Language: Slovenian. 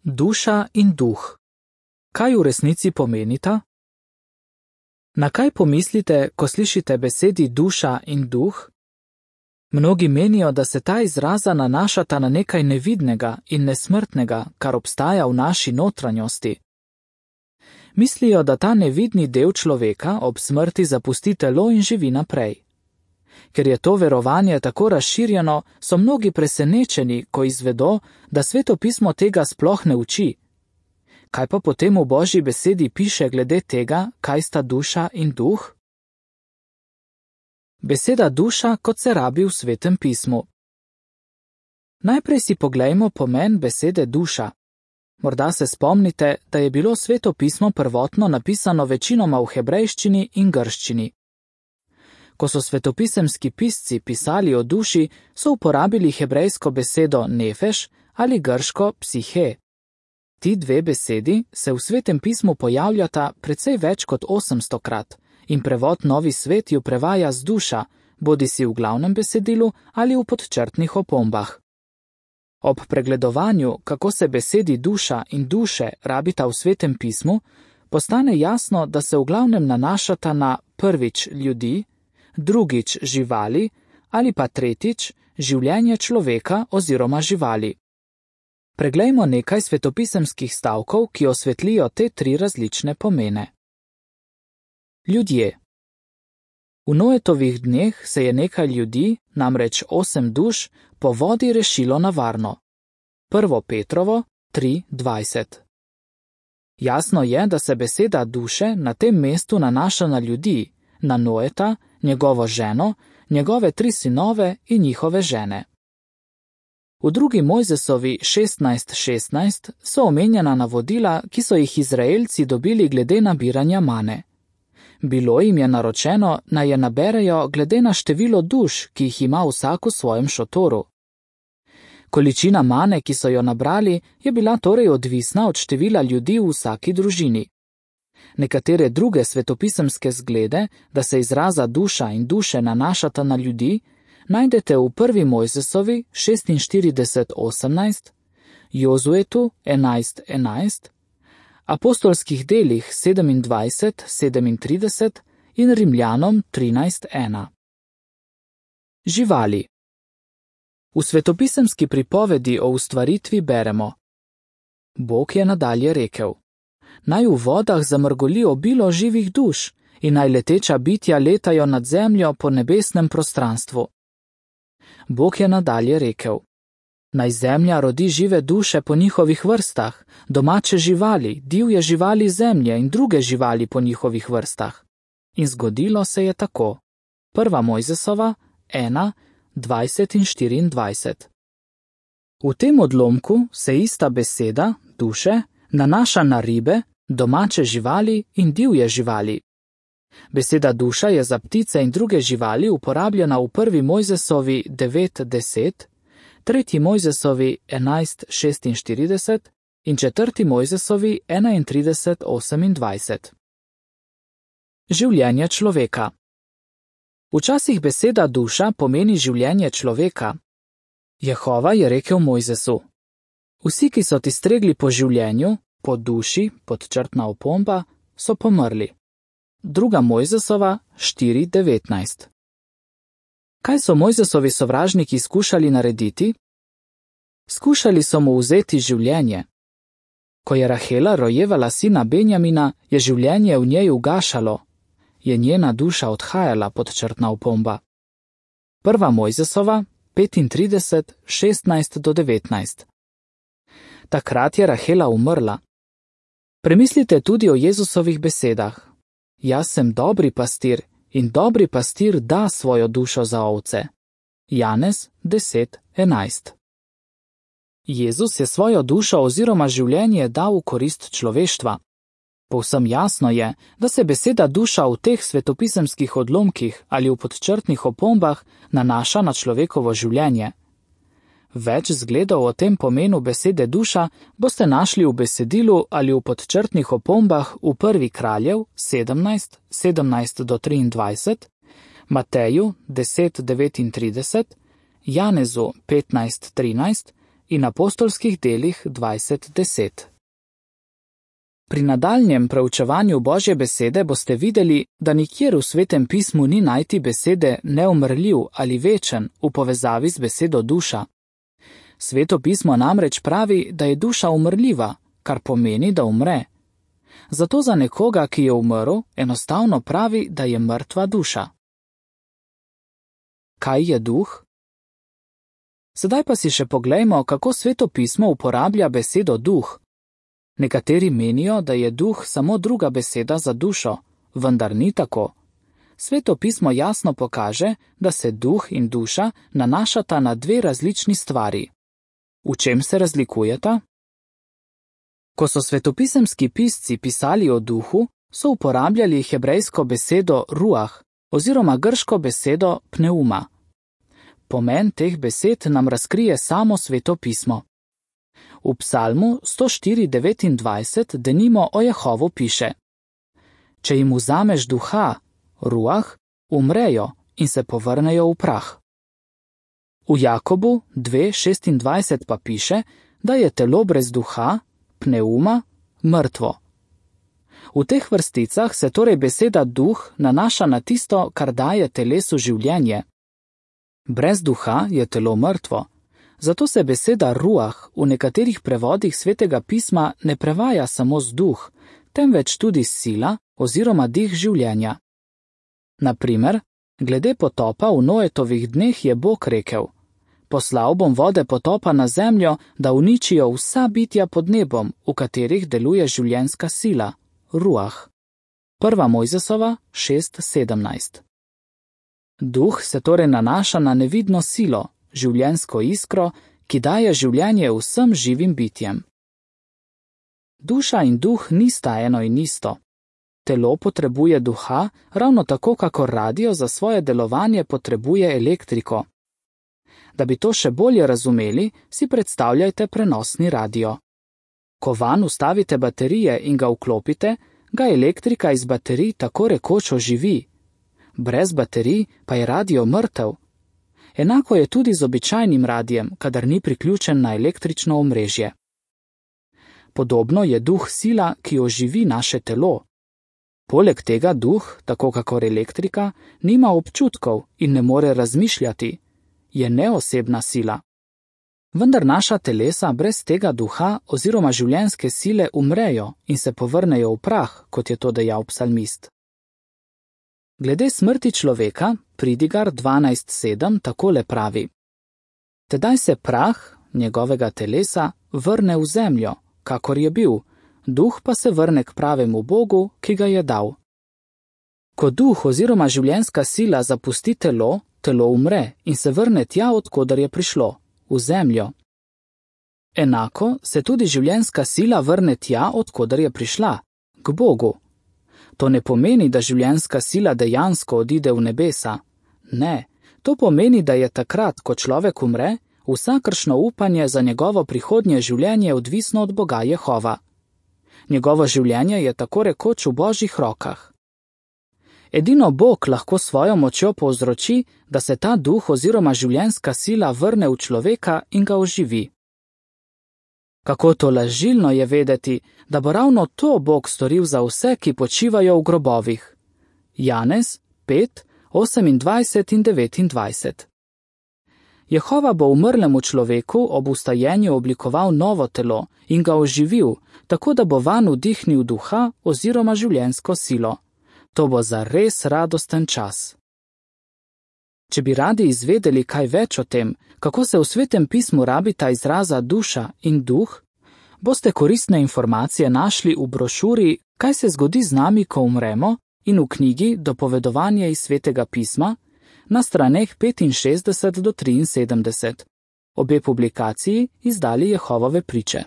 Duša in duh. Kaj v resnici pomenita? Na kaj pomislite, ko slišite besedi duša in duh? Mnogi menijo, da se ta izraza nanašata na nekaj nevidnega in nesmrtnega, kar obstaja v naši notranjosti. Mislijo, da ta nevidni del človeka ob smrti zapusti telo in živi naprej. Ker je to verovanje tako razširjeno, so mnogi presenečeni, ko izvedo, da Sveto pismo tega sploh ne uči. Kaj pa potem v Božji besedi piše glede tega, kaj sta duša in duh? Beseda duša, kot se rabi v Svetem pismu. Najprej si poglejmo pomen besede duša. Morda se spomnite, da je bilo Sveto pismo prvotno napisano večinoma v hebrejščini in grščini. Ko so svetopisemski pisci pisali o duši, so uporabili hebrejsko besedo nefeš ali grško psihe. Ti dve besedi se v Svetem pismu pojavljata precej več kot 800krat in prevod Novi svet ju prevaja z duša, bodisi v glavnem besedilu ali v podčrtnih opombah. Ob pregledovanju, kako se besedi duša in duše rabita v Svetem pismu, postane jasno, da se v glavnem nanašata na prvič ljudi, drugič živali ali pa tretjič življenje človeka oziroma živali. Preglejmo nekaj svetopisemskih stavkov, ki osvetlijo te tri različne pomene. Ljudje. V Noetovih dneh se je nekaj ljudi, namreč 8 duš, po vodi rešilo na varno. 1. Petrovo 3:20. Jasno je, da se beseda duše na tem mestu nanaša na ljudi, na Noeta, njegovo ženo, njegove 3 sinove in njihove žene. V 2. Mojzesovi 16:16 so omenjena navodila, ki so jih Izraelci dobili glede nabiranja mane. Bilo jim je naročeno, naj je naberejo glede na število duš, ki jih ima vsak v svojem šotoru. Količina mane, ki so jo nabrali, je bila torej odvisna od števila ljudi v vsaki družini. Nekatere druge svetopisemske zglede, da se izraza duša in duše nanašata na ljudi, najdete v 1. Mojzesovi 46:18, Jozuetu 11:11, apostolskih delih 27:37 in Rimljanom 13:1. Živali. V svetopisemski pripovedi o ustvaritvi beremo: Bog je nadalje rekel: Naj v vodah zamrgoli obilo živih duš in naj leteča bitja letajo nad zemljo po nebesnem prostranstvu. Bog je nadalje rekel: Naj zemlja rodi žive duše po njihovih vrstah, domače živali, divje živali zemlje in druge živali po njihovih vrstah. In zgodilo se je tako. 1. Mojzesova 1:20 in 24. V tem odlomku se ista beseda, duše, nanaša na ribe, domače živali in divje živali. Beseda duša je za ptice in druge živali uporabljena v 1. Mojzesovi 9:10, 3. Mojzesovi 11:46 in 4. Mojzesovi 31:28. Življenje človeka. Včasih beseda duša pomeni življenje človeka. Jehova je rekel Mojzesu: Vsi, ki so ti stregli po življenju, po duši, podčrtna opomba, so pomrli. 2. Mojzesova 4:19. Kaj so Mojzesovi sovražniki skušali narediti? Skušali so mu vzeti življenje. Ko je Rahela rojevala sina Benjamina, je življenje v njej ugašalo, je njena duša odhajala, podčrtna opomba. 1. Mojzesova 35:16-19. Takrat je Rahela umrla. Premislite tudi o Jezusovih besedah: Jaz sem dobri pastir in dobri pastir da svojo dušo za ovce. Janez 10:11. Jezus je svojo dušo oziroma življenje dal v korist človeštva. Povsem jasno je, da se beseda duša v teh svetopisemskih odlomkih ali v podčrtnih opombah nanaša na človekovo življenje. Več zgledov o tem pomenu besede duša boste našli v besedilu ali v podčrtnih opombah v 1. Kraljev 17:17-23, Mateju 10:39, Janezu 15:13 in apostolskih delih 20:10. Pri nadaljnjem preučevanju Božje besede boste videli, da nikjer v Svetem pismu ni najti besede neumrljiv ali večen v povezavi z besedo duša. Sveto pismo namreč pravi, da je duša umrljiva, kar pomeni, da umre. Zato za nekoga, ki je umrl, enostavno pravi, da je mrtva duša. Kaj je duh? Sedaj pa si še poglejmo, kako Sveto pismo uporablja besedo duh. Nekateri menijo, da je duh samo druga beseda za dušo, vendar ni tako. Sveto pismo jasno pokaže, da se duh in duša nanašata na dve različni stvari. V čem se razlikujeta? Ko so svetopisemski pisci pisali o duhu, so uporabljali hebrejsko besedo ruah oziroma grško besedo pneuma. Pomen teh besed nam razkrije samo Sveto pismo. V psalmu 104:29 denimo o Jehovu piše: Če jim vzameš duha, ruah, umrejo in se povrnejo v prah. V Jakobu 2:26 pa piše, da je telo brez duha, pneuma, mrtvo. V teh vrsticah se torej beseda duh nanaša na tisto, kar daje telesu življenje. Brez duha je telo mrtvo. Zato se beseda ruah v nekaterih prevodih Svetega pisma ne prevaja samo z duh, temveč tudi sila oziroma dih življenja. Na primer, glede potopa v Noetovih dneh je Bog rekel: Poslal bom vode potopa na zemljo, da uničijo vsa bitja pod nebom, v katerih deluje življenjska sila, ruah. 1. Mojzesova 6:17. Duh se torej nanaša na nevidno silo, življenjsko iskro, ki daje življenje vsem živim bitjem. Duša in duh nista eno in isto. Telo potrebuje duha, ravno tako, kakor radio za svoje delovanje potrebuje elektriko. Da bi to še bolje razumeli, si predstavljajte prenosni radio. Ko vanj vstavite baterije in ga vklopite, ga elektrika iz baterij tako rekoč oživi. Brez baterij pa je radio mrtev. Enako je tudi z običajnim radijem, kadar ni priključen na električno omrežje. Podobno je duh sila, ki oživi naše telo. Poleg tega duh, tako kakor elektrika, nima občutkov in ne more razmišljati. Je neosebna sila. Vendar naša telesa brez tega duha oziroma življenjske sile umrejo in se povrnejo v prah, kot je to dejal psalmist. Glede smrti človeka, Pridigar 12:7 takole pravi: Tedaj se prah njegovega telesa vrne v zemljo, kakor je bil, duh pa se vrne k pravemu Bogu, ki ga je dal. Ko duh oziroma življenjska sila zapusti telo, telo umre in se vrne tja, odkudar je prišlo, v zemljo. Enako se tudi življenjska sila vrne tja, odkudar je prišla, k Bogu. To ne pomeni, da življenjska sila dejansko odide v nebesa. Ne, to pomeni, da je takrat, ko človek umre, vsakršno upanje za njegovo prihodnje življenje odvisno od Boga Jehova. Njegovo življenje je tako rekoč v Božjih rokah. Edino Bog lahko svojo močjo povzroči, da se ta duh oziroma življenjska sila vrne v človeka in ga oživi. Kako tolažilno je vedeti, da bo ravno to Bog storil za vse, ki počivajo v grobovih. Janez 5:28 in 29. Jehova bo umrlemu človeku ob vstajenju oblikoval novo telo in ga oživil, tako da bo vanj vdihnil duha oziroma življenjsko silo. To bo zares radosten čas. Če bi radi izvedeli kaj več o tem, kako se v Svetem pismu rabita izraza duša in duh, boste koristne informacije našli v brošuri Kaj se zgodi z nami, ko umremo, in v knjigi Dopovedovanje iz Svetega pisma na straneh 65 do 73. Obe publikaciji izdali Jehovove priče.